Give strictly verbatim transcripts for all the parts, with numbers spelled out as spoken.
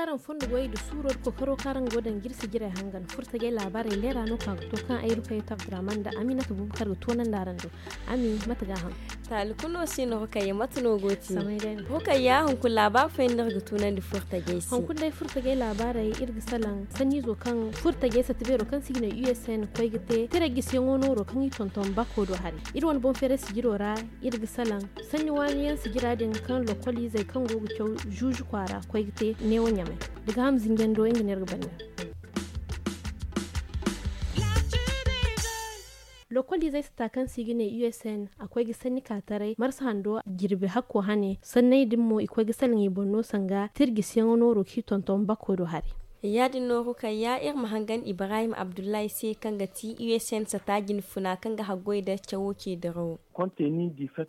Araŋ fondo goyey nda suuro nda kookaro kaŋ araŋ go ga daŋ ga iri sijirey hangan furtajey laabaarey leera no ka ga to kaŋ ay rukayo tabdiraman nda aminata buubu kaŋ ga toonandi araŋ do. Ami mate ga a haŋ? Taali kulu no si no rukayya mate no go ti? Rukayya hunkuna laabaari fooyaŋ no iri ga tunandi furtajey se. Hunkuna day furtajey laabaarey iri ga salaŋ sanniizo kaŋ furtajey satta beero kaŋ se i ga ne u s n koy ga te tiray gisiyaŋo nooro kaŋ i tonton bako do hari. Iri wane boŋ feeray sijiro ra iri ga salaŋ sanni waani yaŋ sijira din kaŋ lokol izey kaŋ go ga caw zuuzu kwaara koy ga te neewo ɲamay. Da gaaham zinjando nga no iri ga banda. Lokol izey sata kaŋ se i ga ne u s n a koy ga sanni ka taray marsa hando jirbi hakko hane sanney din mo i koy ga salaŋ i boŋ no sanga tirgisiyaŋo nooro kaŋ i tonton bako do hari. Ya- din nooru kaŋ ya iri ma hangan ibrahim abdullahi se kaŋ ga ti u s n sata jinfuna kaŋ ga haggoy nda cawo ce dirawo.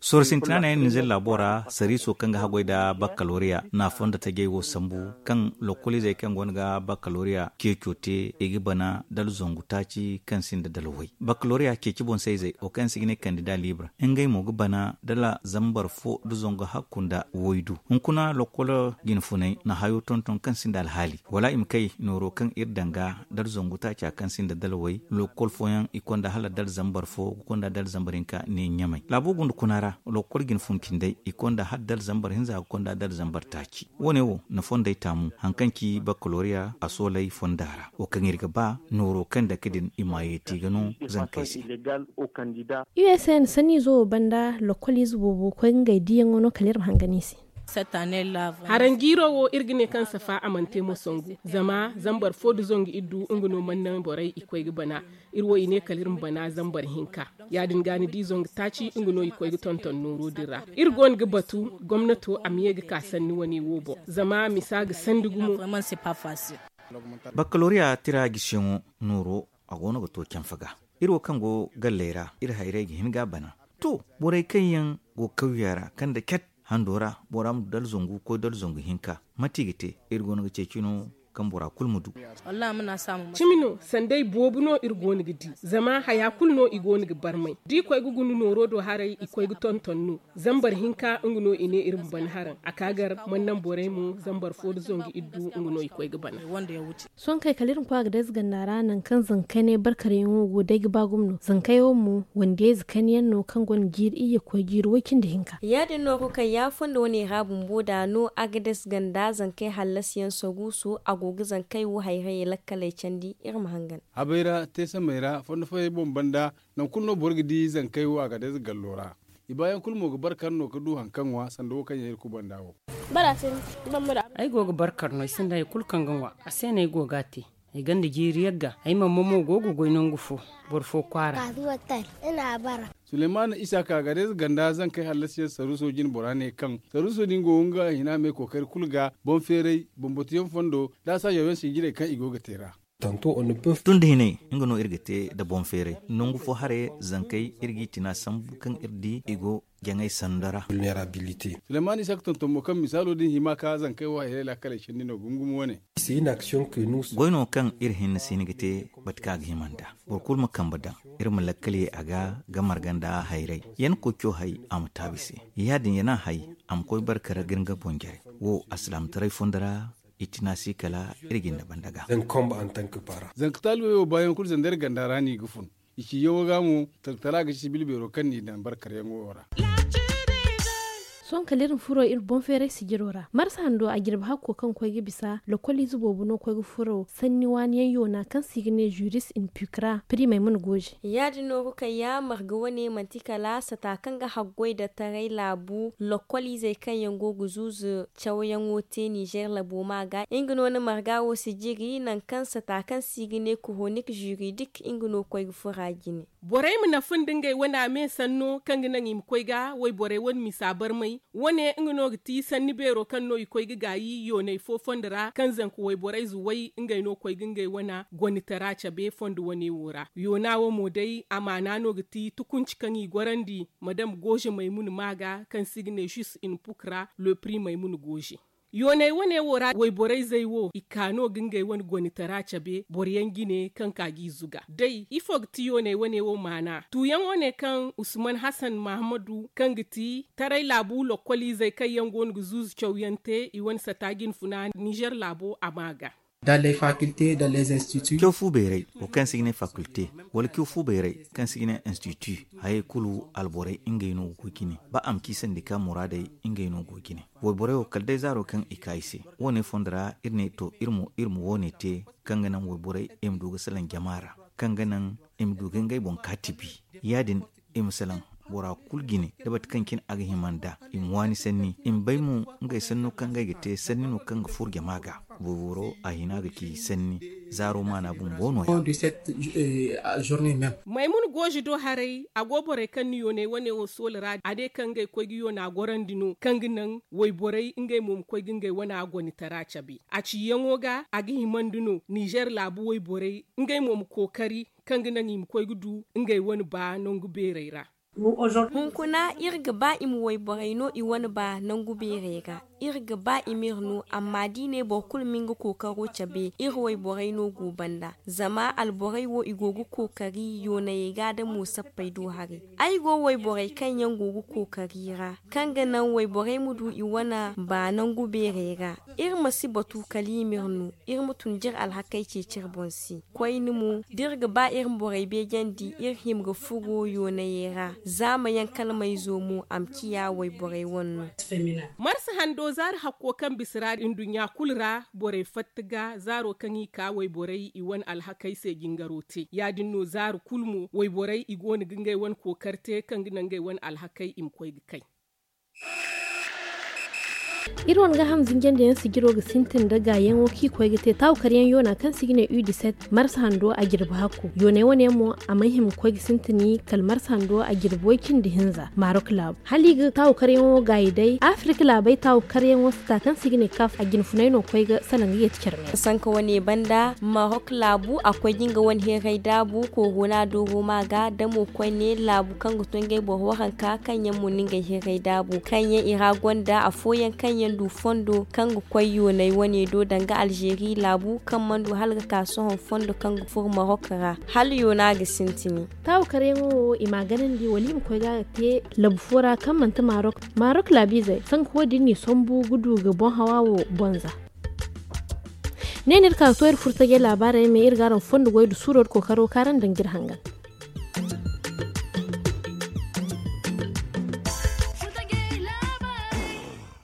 Sorro sintina no yaŋ ninzeer laabo ra sariiso kaŋ ga haggoy nda bakkaloriya na a fondo tajey wo sambu kaŋ lokol izey kaŋ go no ga bakkaloriya ceeco te i ga bana dala zangu taaci kaŋ sinda dala way bakkaloriya ceeci boŋ se izey wo kaŋ yaŋ se i ga ne kandida libre ngey mo ga bana dala zambar fo nda zangu hakku nda waydu hunkuna lokol jinfunay na hayo tonton kaŋ sinda alhaali wala i ma kay nooro kaŋ iri daŋ ga dala zangu taaca kaŋ sinda dala way lokol fooyaŋ i konda hala dala zambar fo ga konda dala zambar hinka ne ɲamay laabo gunda kuna ra lokol jinfun cindey i konda hala dala zambar hinza ga konda dala zambar taaci wo- ne wo na fondey taamu hari kaŋ ci bakkaloriya a soolay fonda ra wo kaŋ iri ga ba nooro kaŋ dake din i ma yeeti ga no zankey se. U s n sanniizo wo banda lokol ize boobo koy ga ngey diiyaŋo no kala iri ma hangan i se. Haranjiiro wo iri ga ne kaŋ safa a mana te mo sangu zama zambar fo nda zangu iddu nga no mana naŋ borey i koy ga bana. Iri wo i ne kala iri ma bana zambar hinka. Ya- din ga ni di zangu taaci nga no i koy ga tonton nooro din ra. Iri go no ga batu gomnato a ma ye ga ka sanni wane wo boŋ zama misa ga sandi gumo. Bakkaloriya tira gisiyaŋo nooro a go no ga to canfa ga. Iri wo kaŋ go galley ra iri hayrey ga hin ga a bana. To, borey kaŋ yaŋ go kawya ra kaŋ nda cat hando ra bora ma du dala zangu koy dala zangu hinka mate i ga te? Iri go no ga ceeci no kaŋ bora kulu ma du. Cimi no sanday boobo no iri go no ga di zama haya kulu no i go no ga barmay da i koy ga guna nooro do haray i koy ga tonton no. Zambar hinka nga no i ne iri ma ban haraŋ a ka gar mana naŋ borey mo zambar fo nda zangu iddu nga no i koy ga bana. Sohõ kay kala iri ma koy a ga day ze ganda ra nangu kaŋ zankey ne barkaryaŋo go day ga ba gumo no zankey wo mo wandiyayze kayna yaŋ no kaŋ gonda jiiri iyye ga koy jiiri way cindi hinka. Ya- din no ga kay ya fondo wane ra bumbo da no a ga day ze ganda zankey hallasi yaŋ saruuso a go ga zankey wo hayrayey lakkaley candi iri ma hangan. Habay ra teesamey ra fondo fooyaŋ boŋ banda nangu kulu no boro ga di zankey wo a ga day ze gallo ra. I baayaŋ kulu mo ga barkar no ga du hari kaŋ ŋwa sanda wo kaŋ yaŋ iri kubanda wo. Ay go ga barkar no ay sinda hari kulu kaŋ ga ŋwa a se no ay go ga a te. Ay gonda jiiri yagga ay mama mo go ga goy nangu fo boro fo kwaara. Sulemana isaka ga day ze ganda zankey hallasi yaŋ saruuso jine bora ne kaŋ saruuso din go nga hina me kookari kulu ga boŋ feeray boŋ batuyaŋ fondo da a saajaw yaŋ sinjirey kaŋ i go ga te ra. Tun da hinay nga no iri ga te nda boŋ feeray nangu fo haray zankey iri g'i tina sambu kaŋ iri di i go jaŋay sanda ra. Sulemani isaka tonton mo kaŋ misaalo din hima ka zankey wo hayray laakaley cindi no gumo gumo wane. Goy no kaŋ iri hinne si hin ga te mate kaŋ a ga hima nd'a. Boro kulu ma kambe daŋ iri ma lakkal ye a ga ga marga nda hayray. Yaŋ koy co hay a ma taabi se ya- din yaŋ a hay a ma koy barka ra ga iri nga boŋ jare. Wo alsilaamataray fondo ra i tina si kala iri ga ni banda ga. Zanka taalibey wo baayaŋ kulu zandar ganda ra no i ga fun. I ci yaŋo ga mo talkatara ga ci sibil beero kaŋ n'i daŋ barkaryaŋo wo ra. Sohõ kala iri ma furo iri boŋ feeray sijiro ra marsa hando a jirbi hakko kaŋ koy ga bisa lokoliize boobo no koy ga furo sanni waani yaŋ yoona kaŋ se i ga ne juris in pukra primey mana gooje. Ya- din no ga kay ya marga wane manti kala sata kaŋ ga haggoy nda taray laabu lokoliizey kaŋ yaŋ go ga zuuzu cawyaŋo te nizer labo ma ga nga no na marga wo sijiri nangu kaŋ sata kaŋ se i ga ne kuhonik juridik nga no koy ga fura jine. Borey ma nafa nda ngey wane a me sanno kaŋ ga naŋ i ma koy ga wayborey wane misa barmay. Wane nga no ga ti sanni beero kaŋ no i koy ga gaayi yoonay fo fondo ra kaŋ zanka wayborey zuway ngey no koy ga ngey wane gonitara cabe fondo wane wo ra yoona wo mo day amaana no ga ti tukunci kaŋ i gorandi madam gooze maymuna ma ga kaŋ se i ga ne jus in pukra le pri maymuna gooze. Yooney wane wo ra wayborey zey wo i ka no ga ngey wane gonitara cabe boro yaŋ jine kaŋ ka g'i zuga day ifo ga ti yooney wane wo maana tuuyaŋo ne kaŋ usman hasan mahamadu kaŋ ga ti taray laabu lokkoliizey kaŋ yaŋ go no ga zuuzu cawyaŋ te i wane sata jinfuna nizer laabo a ma ga. Caw fu bayray wo kaŋ se ga ne fakulte wala caw fu bayray kaŋ se ga ne institu hayey kulu alborey ngey no ga koy ga ne ba a ma ci sandika muraadey ngey no ga koy ga ne. Wayborey wo kala day zaaro kaŋ i ka i se wo- ne fondo ra iri ne to iri ma wo- ne te kaŋ ga naŋ wayborey i ma du ga salaŋ jama ra kaŋ ga naŋ i ma du ga ngey boŋ ka tibi ya- din i ma salaŋ bora kulu jine da bate kaŋ cine a ga hima nd'a i ma waani sanni i ma bay mo ngey sanno kaŋ ngey ga te sanni no kaŋ ga furo jama ga. Wayboro a hina ga ci sanni zaaro maana bumbo no- ya. Maymun goozi do haray a go borey kaŋ na yooney wane wo soola ra a ne kaŋ ngey koy ga yoona gorandi no kaŋ ga naŋ wayborey ngey mo ma koy ga ngey wane a gonitara cabe a ciyaŋo ga a ga himandi no nizer laabu wayborey ngey mo ma kookari kaŋ ga naŋ i ma koy ga du ngey wane ba nangu beerey ra. Hunkuna iri ga ba i ma wayborey no i wane ba nangu beerey ra. Iri ga ba i m'iri no amma da i ne boro kulu ma nga kookaro cabe iri wayborey no go banda. Zama alborey wo i go ga kookari yoonayey ga da mo sappey do haray. Ay go wayborey kaŋ yaŋ go ga kookari ra kaŋ ga naŋ wayborey ma du i wane ba nangu beerey ra. Iri ma si batu kala i m'iri no iri ma tun da iri alhakey ceeci iri boŋ se. Koyne mo da iri ga ba iri ma borey beejandi iri hima ga furo yoonayey ra zaama yaŋ kala mayzo mo a ma ciya wayborey wane no. Marsa hando zaari hakko kaŋ bisa ra nduɲɲa kulu ra borey fatta ga zaaro kaŋ i ka wayborey i wane alhakey se jingaro te ya- din no zaari kulu mo wayborey i go no ga ngey wane kookari te kaŋ ga naŋ ngey wane alhakey i ma koy ga kay. Iri wane ga hamzinjandi yaŋ sijiro ga sintin nda gaayaŋo kaŋ i koy ga te taawu karyaŋ yoona kaŋ se i ga ne u diset marsa hando a jirbi hakko yooney wane yaŋ mo a mana hima ga koy ga sintin kala marsa hando a jirbi way cindi hinza marok laabu hala i ga taawu karyaŋo gaayi day afirika laabey taawu karyaŋo sita kaŋ se i ga ne kaaf a jinfunay no ga koy ga salaŋ ga yeeti care meera. Sanka wane banda marok laabu a koy ga nga wane heeray daabu korona dooro ma ga damo koyne laabu kaŋ ga to ngey boro waranka kaŋ yaŋ mo na ngey heeray daabu kaŋ yaŋ i ra gonda afooyaŋ kaŋ yaŋ du fondo kaŋ ga koy yoonay wane do danga alzeeri laabu kaŋ mana du hala ga ka sohõ fondo kaŋ ga furo marok ra hala yoona ga sintini. Taawu karyaŋo wo i m'a ganandi wala i ma koy ga a ga te labu fo ra kaŋ manti marok. Marok laabiizey sanka wo- din n'i sambu ga du ga boŋ hawa wo boŋ za. Ne no iri ka ga to iri furtajey laabaarey me iri ga araŋ fondo goy nda suuro nda kookaro kaŋ araŋ daŋ ga iri hangan.